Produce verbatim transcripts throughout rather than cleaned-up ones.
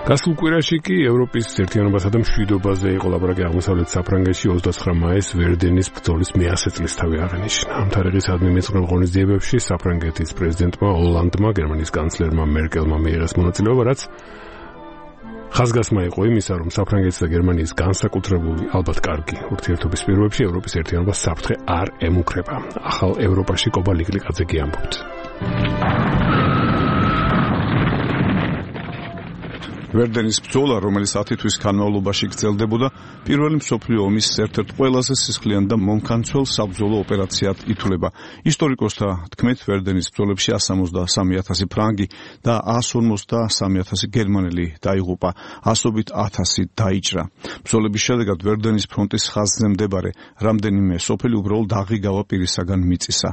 გასულ კვირაში კი ევროპის ერთიანობასა და მშვიდობაზე იყო ლაპარაკი აღმოსავლეთ საფრანგეთში ოცდაცხრა მაისს ვერდენის ბრძოლის მეათე წლისთავი აღენიშნა. ამ თარიღისადმი მეწყრე ღონისძიებებში საფრანგეთის პრეზიდენტმა ოლანდმა, გერმანიის კანცლერმა მერკელმა მიიღეს მონაწილეობა, რაც ხაზგასმა იყო იმისა, რომ საფრანგეთის და გერმანიის განსაკუთრებული, ალბათ კარგი ურთიერთობის პირობებში ევროპის ერთიანობას საფრთხე არ ემუქრება. ახალ ევროპაში კობა ლიკლიკაძე ამბობთ. ვერდენის ბრძოლა, რომელიც ათი თვის განმავლობაში გრძელდებოდა, პირველი მსოფლიო ომის ერთ-ერთ ყველაზე სისხლიან და მომქანცველ საბრძოლო ოპერაციად ითვლება. ისტორიკოსთა თქმით, ვერდენის ბრძოლებში one hundred seventy-three thousand ფრანგი და one hundred forty-three thousand გერმანელი დაიღუპა, ასობით ათასი დაიჭრა. ბრძოლების შედეგად ვერდენის ფრონტის ხაზზე მდებარე რამდენიმე სოფელი უბრალოდ აღიგავა პირისაგან მიწისა.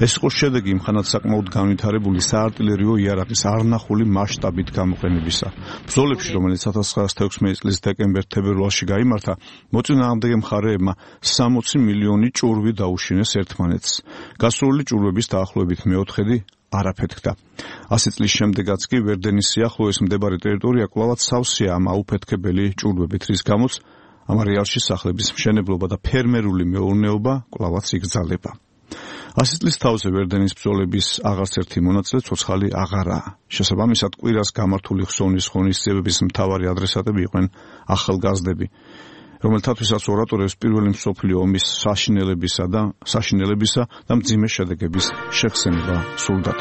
ეს იყო შედეგი იმხანად საკმაოდ განვითარებული საარტილერიო იარაღის არნახული მასშტაბით გამოყენებისა. ბრძოლებში, რომელიც one thousand nine hundred sixty წლის დეკემბერ-თებერვალში გაიმართა, მოწინააღმდეგე მხარეებმა sixty მილიონი ჭურვი დაუშინეს ერთმანეთს. გასროლილი ჭურვების დაახლოებით მეოთხედი არაფეთქდა. ასი წლის შემდეგაც კი ვერდენის სიახლოვეს მდებარე ტერიტორია კვლავაც სავსეა ამ აუფეთქებელი ჭურვებით, რის გამოც ამ არეალში სახლების მშენებლობა და ფერმერული მეურნეობა კვლავაც იგრძალება. ასი წლის თავზე ვერდენის ბრძოლების აღარც ერთი მონაწილე ცოცხალი აღარაა. შესაბამისად, კვირას გამართული ხსოვნის ღონისძიებების მთავარი ადრესატები იყვნენ ახალგაზრდები, რომელთათვისაც ორატორებს პირველი მსოფლიო ომის საშინელებისა და საშინელებისა და მძიმე შედეგების შეხსენება სურდათ.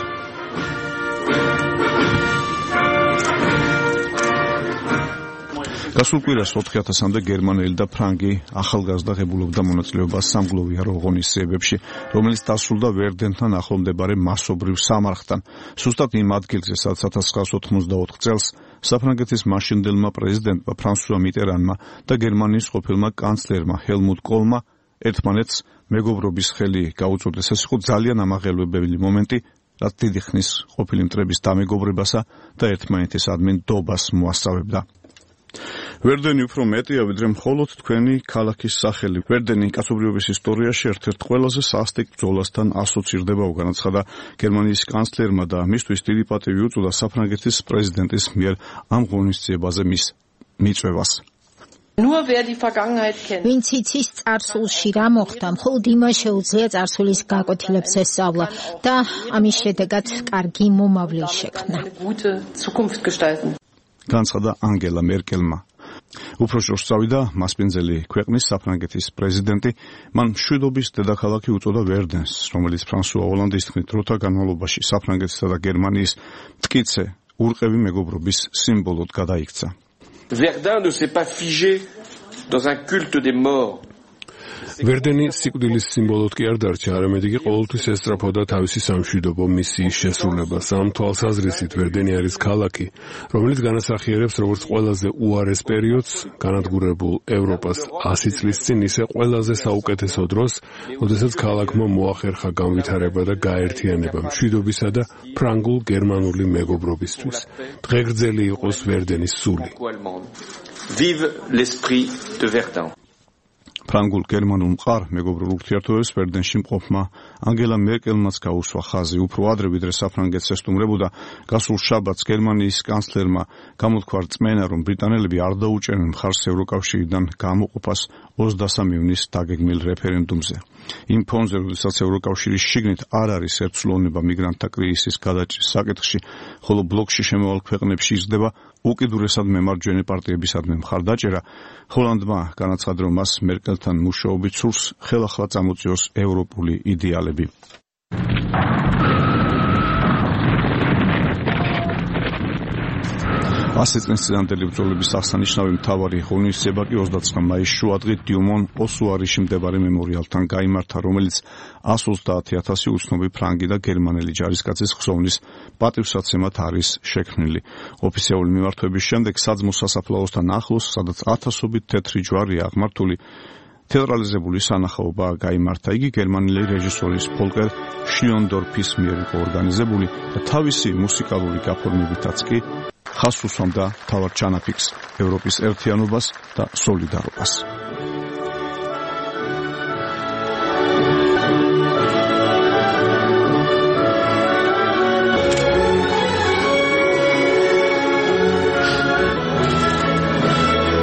გასულ კვირას ოთხი ათასამდე გერმანელი და ფრანგი ახალგაზრდა ღებულობდა მონაწილეობას სამგლოვიარო ღონისძიებებში, რომელიც დასრულდა ვერდენთან ახლომდებარე მასობრივ სამარხთან. სუსტად იმ ადგილზე, სადაც one thousand nine hundred ninety-four წელს საფრანგეთის მაშინდელმა პრეზიდენტმა ფრანსუა მიტერანმა და გერმანიის ყოფილმა კანცლერმა ჰელმუტ კოლმა ერთმანეთს მეგობრობის ხელი გაუწოდეს. ეს იყო ძალიან ამაღელვებელი მომენტი, რაც დიდი ხნის ყოფილი მტრების დამეგობრებასა და ერთმანეთისადმი ნდობას მოასწავებდა. ვერდენი უფრო მეტია, ვიდრე მხოლოდ თქვენი ქალაქის სახელი. ვერდენი კაცობრიობის ისტორიაში ერთ-ერთ ყველაზე სასტიკ ბრძოლასთან ასოცირდება, განაცხადა გერმანიის კანცლერმა და მისთვის დიდი პატივი უწოდა საფრანგეთის პრეზიდენტის მიერ ამ ღონისძიებაზე მის მიწვევას. ვინც იცის წარსულში რა მოხდა, მხოლოდ იმას შეუძლია წარსულის გაკვეთილებს ესწავლა და ამის შედეგად კარგი მომავლე შექმნა. განაცხადა ანგელა მერკელმა. უფრო შორს წავიდა მასპინძელი ქვეყნის საფრანგეთის პრეზიდენტი, მან მშვიდობის დედაქალაქი უწოდა ვერდენს, რომელიც ფრანსუა ოლანდის თქმით დროთა განმავლობაში საფრანგეთისა და გერმანიის მტკიცე ურყევი მეგობრობის სიმბოლოდ გადაიქცა. Verdun ne s'est pas figé dans un culte des morts. ვერდენი სიკვდილის სიმბოლოდ კი არ დარჩა, არამედ იგი ყოველთვის ესწრაფოდა თავისი სამშვიდობო მისიის შესრულებას. ამ თვალსაზრისით ვერდენი არის ქალაქი, რომელიც განასახიერებს როგორც ყველაზე უარეს პერიოდს განადგურებულ ევროპას ასი წლის წინ, ისე ყველაზე საუკეთესო დროს, როდესაც ქალაქმა მოახერხა განვითარება და გაერთიანება მშვიდობისა და ფრანგულ-გერმანული მეგობრობისთვის. დღეგრძელი იყოს ვერდენის სული. Vive l'esprit de Verdun. ფრანგულ გერმანულ მყარ მეგობრულ ურთიერთობებს ვერდენში მყოფმა ანგელა მერკელმაც გაუსვა ხაზი. უფრო ადრე, ვიდრე საფრანგეთს ესტუმრებოდა, გასულ შაბათს გერმანიის კანცლერმა გამოთქვა რწმენა, რომ ბრიტანელები არ დაუჭერენ მხარს ევროკავშირიდან გამოყოფას ოცდასამ ივნის დაგეგმილ რეფერენდუმზე. იმ ფონზე, როდესაც ევროკავშირის შიგნით არ არის ერთსულოვნება მიგრანტთა კრიზისის გადაჭრის საკითხში, ხოლო ბლოკში შემავალ ქვეყნებში იზრდება უკიდურესად მემარჯვენე პარტიებისადმი მხარდაჭერა, ჰოლანდმა განაცხადა, რომ მას მერკელთან მუშაობით სურს ხელახლა წამოწიოს ევროპული იდეალები. ასი წლის წინანდელი ბრძოლების აღსანიშნავი მთავარი ღონისძიება კი ოცდაცხრა მაისს შუადღით დიუმონ ოსუარიში მდებარე მემორიალთან გაიმართა, რომელიც one hundred twenty thousand უცნობი ფრანგი და გერმანელი ჯარისკაცის ხსოვნის პატივსაცემად არის შექმნილი. ოფიციალური მიმართვების შემდეგ საძმო სასაფლაოსთან ახლოს, სადაც ათასობით თეთრი ჯვარია აღმართული, თეატრალიზებული სანახაობა გაიმართა. იგი გერმანელი რეჟისორის ფოლკერ შლიონდორფის მიერ იყო ორგანიზებული და თავისი მუსიკალური გაფორმებითაც კი ხაზს უსვამდა მთავარ ჩანაფიქს, ევროპის ერთიანობას და სოლიდარობას.